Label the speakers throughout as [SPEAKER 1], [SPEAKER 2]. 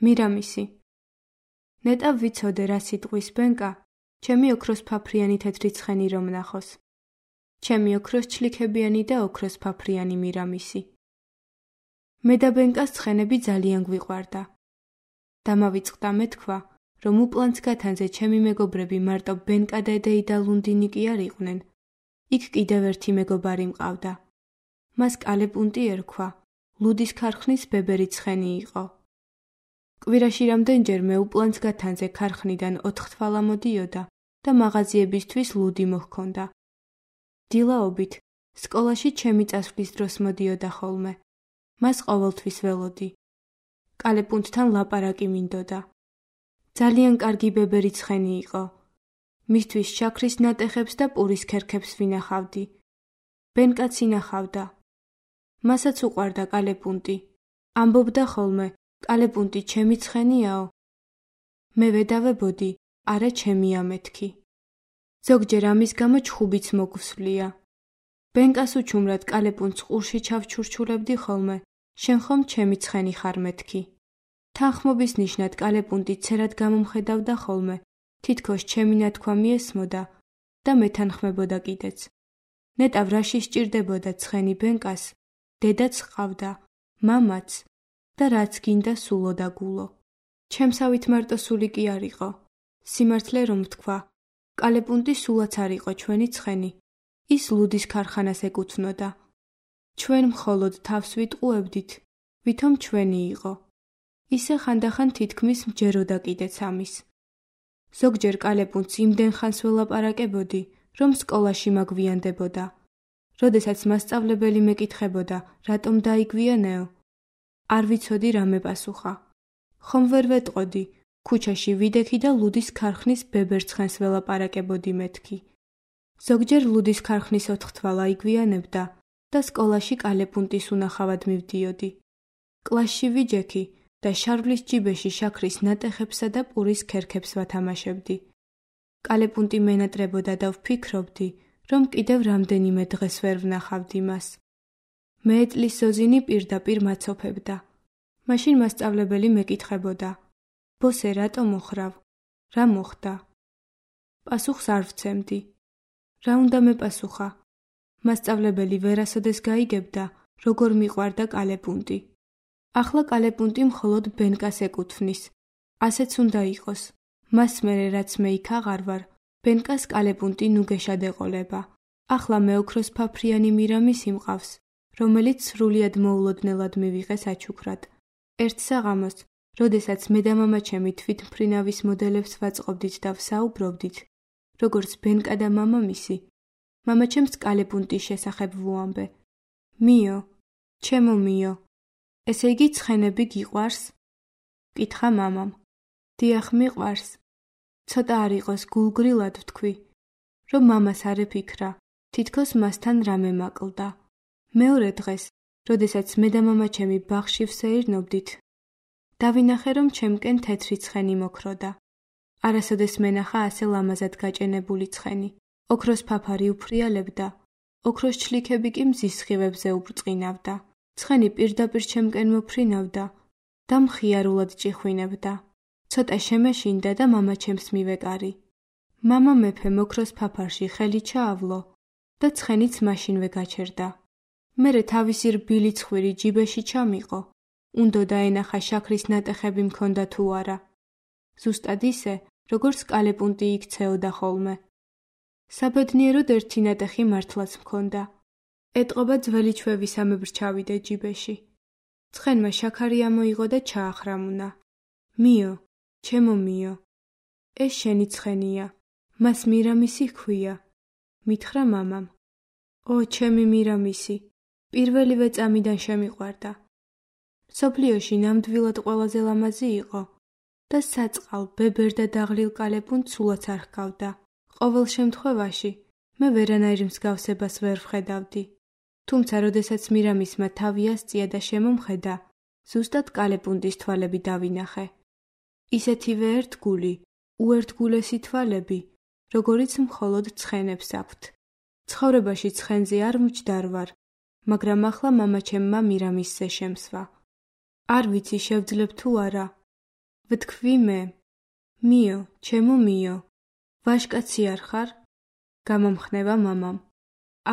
[SPEAKER 1] მირამისი. ნეტავ ვიცოდე რა სიტყვის ბენკა, ჩემი ოქროს ფაფრიანი თეთრი ცხენი რომ ნახოს. ჩემი ოქროს ჩლიქებიანი და ოქროს ფაფრიანი მირამისი. მე და ბენკას ცხენები ძალიან გვიყვარდა. დამავიწყდა მეთქვა, რომ უპლანს გათანზე ჩემი მეგობრები მარტო ბენკა დედეი და ლუნდინი კი არ იყვნენ. იქ კიდევ ერთი მეგობარი მყავდა. მას კალეპუნტი ერქვა, ლუდის ქარხნის ბებერი ცხენი იყო. კვირაში რამდენჯერ მე უპლანს გათანზე ქარხნიდან 4 თვალა მოდიოდა და მაღაზიებისთვის ლუდი მოჰქონდა. დილაობით სკოლაში ჩემი წასვლის დროს მოდიოდა ხოლმე. მას ყოველთვის ველოდი. კალეპუნტთან ლაპარაკი მინდოდა. ძალიან კარგი ბებერი ცხენი იყო. მისთვის შაქრის ნატეხებს და პურის ქერქებს ვინახავდი. ბენკაც ინახავდა. მასაც უყვარდა კალეპუნტი. ამბობდა ხოლმე, კალეპუნტი ჩემი ცხენიაო. მე ვედავებოდი, არა ჩემია მეთქი. ზოგჯერ ამის გამო ჩხუბიც მოგვსვლია. ბენკას უჩუმრად კალეპუნტს ყურში ჩავჩურჩულებდი ხოლმე, შენ ხომ ჩემი ცხენი ხარ მეთქი. თანხმობის ნიშნად კალეპუნტი ცერად გამომხედავდა ხოლმე, თითქოს ჩემი ნათქვამი ესმოდა და მეთანხმებოდა კიდეც. ნეტავ რაში სჭირდებოდა ცხენი ბენკას, დედაც ჰყავდა, მამაც და რაც გინდა სულო და გულო. ჩემსავით მარტო სული კი არ იყო. სიმართლე რომ ვთქვა, კალეპუნტი სულაც არ იყო ჩვენი ცხენი. ის ლუდის ქარხანას ეკუთვნოდა. ჩვენ მხოლოდ თავს ვიტყუებდით, ვითომ ჩვენი იყო. ისე ხანდახან თითქმის მჯეროდა კიდეც ამის. ზოგჯერ კალეპუნტს იმდენ ხანს ველაპარაკებოდი, რომ სკოლაში მაგვიანდებოდა. როდესაც მასწავლებელი მეკითხებოდა, რატომ დაიგვიანეო? არ ვიცოდი რა მეპასუხა. ხომ ვერ ვეტყოდი, ქუჩაში ვიდექი და ლუდის ქარხნის ბებერ ცხენს ველაპარაკებოდი მეთქი. ზოგჯერ ლუდის ქარხნის 4 თვალა იგვიანებდა და სკოლაში კალეპუნტის უნახავად მივდიოდი. კლასში ვიჯექი და შარვლის ჯიბეში შაქრის ნატეხებსა და პურის ქერქებს ვათამაშებდი. კალეპუნტი მენატრებოდა და ვფიქრობდი, რომ კიდევ რამდენიმე დღეს ვერ ვნახავდი მას. მე ეტლის ზოზინი პირდაპირ მაცოფებდა. მაშინ მასწავლებელი მეკითხებოდა, ბოსე რატო მოხრავ? რა მოხდა? პასუხს არ ვცემდი. რა უნდა მეპასუხა? მასწავლებელი ვერასოდეს გაიგებდა, როგორ მიყვარდა კალეპუნტი. ახლა კალეპუნტი მხოლოდ ბენკას ეკუთვნის. ასეც უნდა იყოს. მას მერე რაც მე იქ აღარ ვარ, ბენკას კალეპუნტი ნუგეშად ეყოლება. ახლა მე ოქროს ფაფრიანი მირამისი მყავს, რომელიც სრულიად მოულოდნელად მივიღეს აჩუქრად. ერთ საღამოს, როდესაც მე და მამაჩემი თვითმფრინავის მოდელებს ვაწყობდით და ვსაუბრობდით, როგორც ბენკა და მამამისი, მამაჩემს კალეპუნტის შესახებ ვუამბე. მიო, ჩემო მიო, ესე იგი ცხენები გიყვარს? კითხა მამამ. დიახ, მიყვარს. ცოტა არ იყოს გულგრილად ვთქვი, რომ მამას არ ეფიქრა, თითქოს მასთან რამე მაკლდა. მეორე დღეს, როდესაც მე და მამაჩემი ბაღში ვსეირნობდით, დავინახე, რომ ჩემკენ თეთრი ცხენი მოქროდა. არასოდეს მენახა ასე ლამაზად გაჭენებული ცხენი. ოქროს ფაფარი უფრიალებდა, ოქროს ჩლიქები კი მზის სხივებზე უბრწყინავდა. ცხენი პირდაპირ ჩემკენ მოფრინავდა და მხიარულად ჭიხვინებდა. ცოტა შემეშინდა და მამაჩემს მივეკარი. მამა მეფემ ოქროს ფაფარში ხელი ჩაავლო და ცხენიც მაშინვე გაჩერდა. მერე თავისი რბილი ცხვირი ჯიბეში ჩამიყო. უნდოდა ენახა შაქრის ნატეხები მქონდა თუ არა. ზუსტად ისე, როგორც კალეპუნტი იქცეოდა ხოლმე. საბედნიეროდ ერთი ნატეხი მართლაც მქონდა. ეტყობა ძველი ჩვევისამებრ ჩავიდე ჯიბეში. ცხენმა შაქარი ამოიღო და ჩაახრამუნა. მიო, ჩემო მიო, ეს შენი ცხენია, მას მირამისი ჰქვია, მითხრა მამამ. ო, ჩემი მირამისი, პირველივე წამიდან შემიყვარდა. მსოფლიოში ნამდვილად ყველაზე ლამაზი იყო და საწყალ, ბებერ და დაღლილ კალეპუნტს სულაც არ ჰგავდა. ყოველ შემთხვევაში, მე ვერანაირ მსგავსებას ვერ ვხედავდი. თუმცა, როდესაც მირამისმა თავი ასწია და შემომხედა, ზუსტად კალეპუნტის თვალები დავინახე. ისეთივე ერთგული, უერთგულესი თვალები, როგორიც მხოლოდ ცხენებს აქვთ. ცხოვრებაში ცხენზე არ მჯდარ ვარ, მაგრამ ახლა მამაჩემმა მირამისზე შემსვა. არ ვიცი შევძლებ თუ არა, ვთქვი მე, მიო, ჩემო მიო, ვაჟკაცი არ ხარ? გამამხნევა მამამ.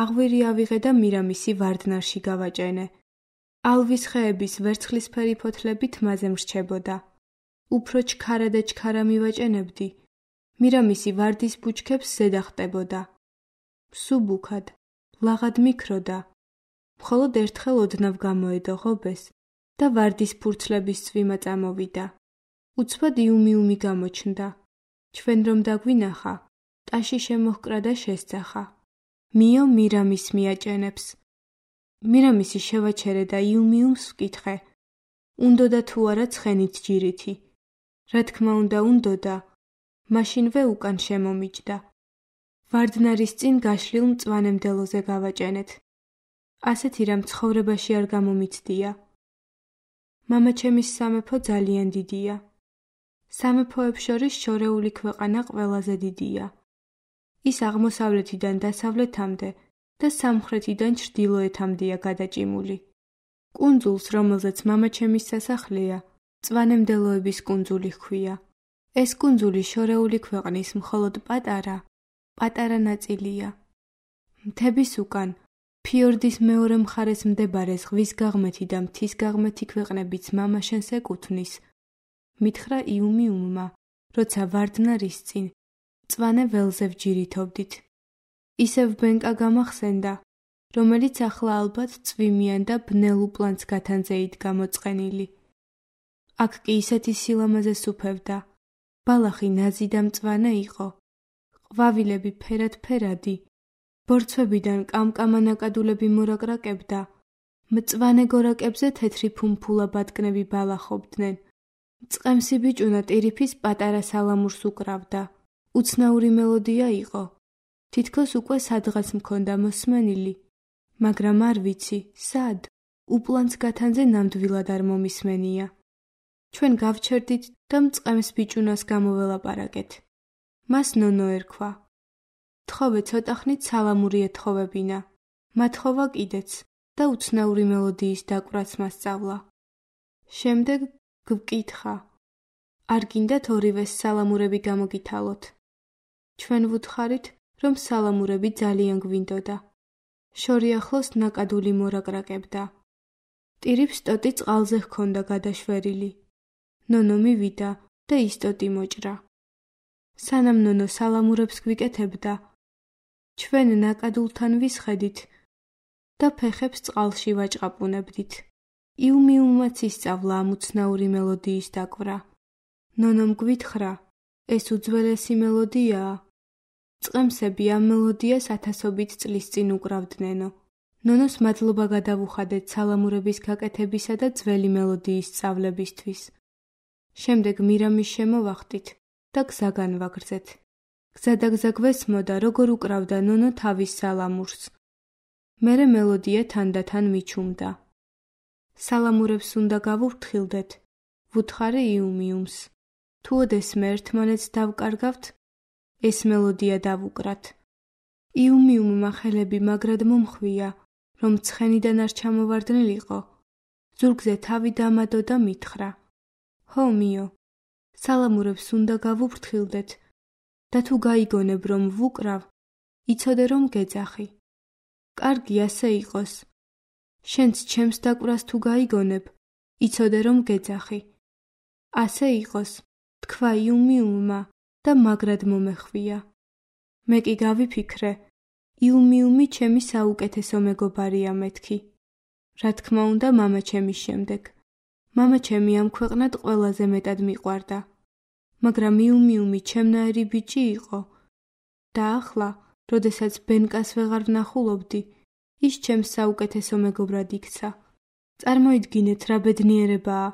[SPEAKER 1] აღვირი ავიღე და მირამისი ვარდნარში გავაჭენე. ალვის ხეების ვერცხლისფერი ფოთლები თმაზე მრჩებოდა. უფრო ჩქარა და ჩქარა მივაჭენებდი. მირამისი ვარდის ბუჩქებს ზედა ხტებოდა. სუბუქად, ლაღად მიქროდა. მხოლოდ ერთხელ ოდნავ გამოედო ღობეს და ვარდის ფურცლების წვიმა წამოვიდა. უცბად იუმიუმი გამოჩნდა. ჩვენ რომ დაგვინახა, ტაში შემოჰკრა და შესძახა. მიო მირამის მიაჭენებს. მირამისი შევაჩერე და იუმიუმს ვკითხე. უნდოდა თუ არა ცხენით ჯირითი. რა თქმა უნდა უნდოდა, მაშინვე უკან შემომიჯდა. ვარდნარის წინ გაშლილ მწვანე მდელოზე გავაჭენეთ. ასეთი რამ ცხოვრებაში არ გამომიცდია. მამაჩემის სამეფო ძალიან დიდია. სამეფოებს შორის შორეული ქვეყანა ყველაზე დიდია. ის აღმოსავლეთიდან დასავლეთამდე და სამხრეთიდან ჩრდილოეთამდეა გადაჭიმული. კუნძულს, რომელზეც მამაჩემის სასახლეა, მწვანე მდელოების კუნძული ჰქვია. ეს კუნძული შორეული ქვეყნის მხოლოდ პატარა ნაწილია. მთების უკან, ფიორდის მეორე მხარეს მდებარე ზღვის გაღმეთი და მთის გაღმეთი ქვეყნებიც მამაშენს ეკუთვნის. მითხრა იუმიუმმა, როცა ვარდნარის წინ მწვანე ველზე ვჯირითობდით. ისევ ბენკა გამახსენდა, რომელიც ახლა ალბათ წვიმიან და ბნელ უპლანს გათანზე იდგა მოწყენილი. აქ კი ისეთი სილამაზე სუფევდა. ბალახი ნაზი და მწვანე იყო. ყვავილები ფერად-ფერადი. ბორცვებიდან კამკამა ნაკადულები მორაკრაკებდა. მწვანე გორაკებზე თეთრი ფუმფულა ბატკნები ბალახობდნენ. მწყემსი ბიჭუნა ტირიფის პატარა სალამურს უკრავდა. უცნაური მელოდია იყო. თითქოს უკვე სადღაც მქონდა მოსმენილი, მაგრამ არ ვიცი, სად? უპლანს გათანზე ნამდვილად არ მომისმენია. ჩვენ გავჩერდით და მწყემს ბიჭუნას გამოველაპარაკეთ. მას ნონო ერქვა. თხოვე ცოტა ხნით სალამური ეთხოვებინა. მათხოვა კიდეც და უცნაური მელოდიის დაკვრაც მასწავლა. შემდეგ გვკითხა. არ გინდათ ორივეს სალამურები გამოგითალოთ? ჩვენ ვუთხარით, რომ სალამურები ძალიან გვინდოდა. შორი ახლოს ნაკადული მორაკრაკებდა. ტირიფს ტოტი წყალზე ჰქონდა გადაშვერილი. ნონო მივიდა და ის ტოტი მოჭრა. სანამ ნონო სალამურებს გვიკეთებდა, ჩვენ ნაკადულთან ვისხედით და ფეხებს წყალში ვაჭყაპუნებდით. იუმიუმმაც ისწავლა ამ უცნაური მელოდიის დაკვრა. ნონომ გვითხრა, ეს უძველესი მელოდიაა. წყემსები ამ მელოდიას ათასობით წლის წინ უკრავდნენო. ნონოს მადლობა გადავუხადეთ სალამურების გაკეთებისა და ძველი მელოდიის სწავლებისთვის. შემდეგ მირამის შემოვახტით და გზა განვაგრძეთ. გზადაგზა გვესმოდა, როგორ უკრავდა ნონო თავის სალამურს. მერე მელოდია თანდათან მიჩუმდა. სალამურებს უნდა გავუფრთხილდეთ, ვუთხარი იუმიუმს. თუ ოდესმე ერთმანეთს დავკარგავთ, ეს მელოდია დავუკრათ. იუმიუმმა ხელები მაგრად მომხვია, რომ ცხენიდან არ ჩამოვარდნილიყო. ზურგზე თავი დამადო და მითხრა. ჰო მიო, სალამურებს უნდა გავუფრთხილდეთ და თუ გაიგონებ, რომ ვუკრავ, იცოდე რომ გეძახი. კარგი ასე იყოს. შენც ჩემს დაკვრას თუ გაიგონებ, იცოდე რომ გეძახი. ასე იყოს, თქვა იუმიუმმა და მაგრად მომეხვია. მე კი გავიფიქრე, იუმიუმი ჩემი საუკეთესო მეგობარია მეთქი. რა თქმა უნდა მამაჩემის შემდეგ. მამაჩემი ამ ქვეყნად ყველაზე მეტად მიყვარდა. მაგრამ იუმიუმი ჩემნაირი ბიჭი იყო. და ახლა, როდესაც ბენკას ვეღარ ვნახულობდი, ის ჩემს საუკეთესო მეგობრად იქცა. წარმოიდგინეთ რა ბედნიერებაა.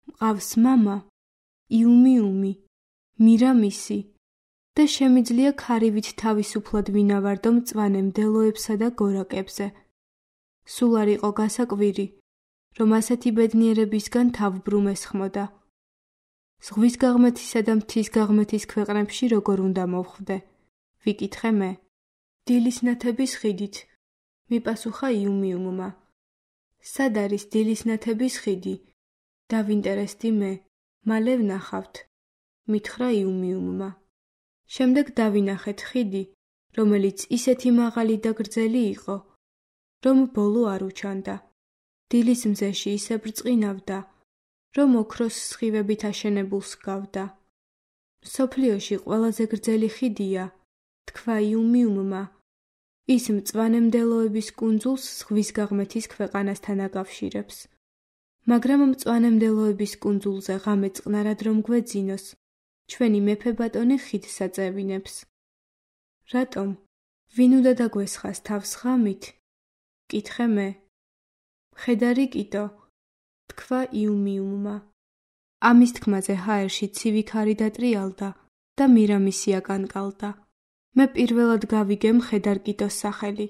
[SPEAKER 1] მყავს მამა, იუმიუმი, მირამისი და შემიძლია ქარივით თავისუფლად ვინავარდო მწვანე მდელოებსა და გორაკებზე. სულ არ იყო გასაკვირი, რომ ასეთი ბედნიერებისგან თავბრუმ ესხმოდა. ზღვის გაღმეთისა და მთის გაღმეთის ქვეყნებში როგორ უნდა მოვხვდე? ვიკითხე მე. დილის ნათების ხიდით, მიპასუხა იუმიუმმა. სად არის დილის ნათების ხიდი? დავინტერესდი მე. მალე ვნახავთ, მითხრა იუმიუმმა. შემდეგ დავინახეთ ხიდი, რომელიც ისეთი მაღალი და გრძელი იყო, რომ ბოლო არ უჩანდა. დილის მზეში ისე ბრწყინავდა, რომ ოქროს სხივებით აშენებულს ჰგავდა. მსოფლიოში ყველაზე გრძელი ხიდია, თქვა იუმიუმმა, ის მწვანემდელოების კუნძულს ზღვის გაღმეთის ქვეყანასთან აკავშირებს. მაგრამ მწვანემდელოების კუნძულზე ღამე წყნარად რომ გვეძინოს, ჩვენი მეფე ბატონი ხიდს აწევინებს. რატომ? ვინ უნდა დაგვესხას თავს ღამით? კითხე მე. ხედარი კიტო, თქვა იუმიუმმა. ამის თქმაზე ჰაერში ცივი ქარი დატრიალდა და მირამისი აკანკალდა. მე პირველად გავიგე მხედარ კიტოს სახელი.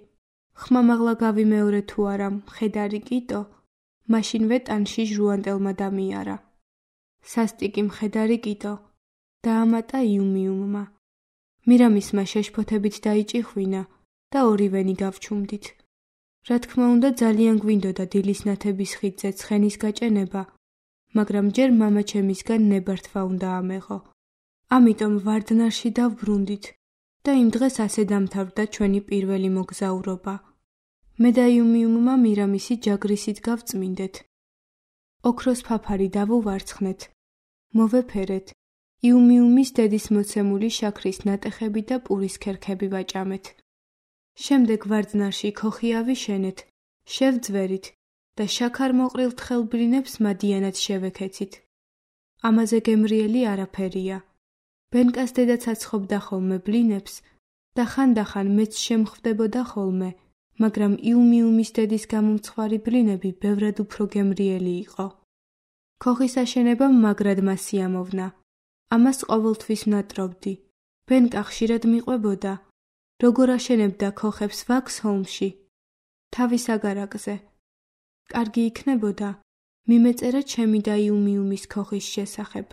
[SPEAKER 1] ხმამაღლა გავიმეორე თუ არა მხედარი კიტო, მაშინვე ტანში ჟუანტელმა დამიარა. სასტიკი მხედარი კიტო, დაამატა იუმიუმმა. მირამისმა შეშფოთებით დაიჭიხვინა და ორივენი გავჩუმდით. რა თქმა უნდა ძალიან გვინდოდა დილის ნათების ხიდზე ცხენის გაჭენება, მაგრამ ჯერ მამაჩემისგან ნებართვა უნდა ამეღო. ამიტომ ვარდნარში დავბრუნდით და იმ დღეს ასე დამთავრდა ჩვენი პირველი მოგზაურობა. მე და იუმიუმმა მირამისი ჯაგრისით გავწმინდეთ. ოქროს ფაფარი დავუვარცხნეთ, მოვეფერეთ, იუმიუმის დედის მოცემული შაქრის ნატეხები და პურის ქერქები ვაჭამეთ. შემდეგ ვარდნარში ქოხი ავიშენეთ, შევძვერით და შაქარ-მოყრილ თხელბლინებს მადიანად შევექეცით. ამაზე გემრიელი არაფერია. ბენკას დედაც აცხობდა ხოლმე ბლინებს და ხანდახან მეც შემხვდებოდა ხოლმე, მაგრამ იუმიუმის დედის გამომცხვარი ბლინები ბევრად უფრო გემრიელი იყო. ქოხის აშენებამ მაგრად მასიამოვნა. ამას ყოველთვის ვნატრობდი. ბენკა ხშირად მიყვებოდა, როგორ აშენებდა ქოხებს ვაქსჰოლმში, თავის აგარაკზე. კარგი იქნებოდა, მიმეწერა ჩემი და იუმიუმის ქოხის შესახებ.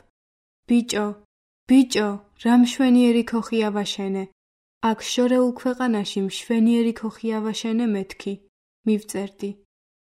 [SPEAKER 1] ბიჭო, რა მშვენიერი ქოხი ავაშენე. აქ შორეულ ქვეყანაში მშვენიერი ქოხი ავაშენე მეთქი, მივწერდი.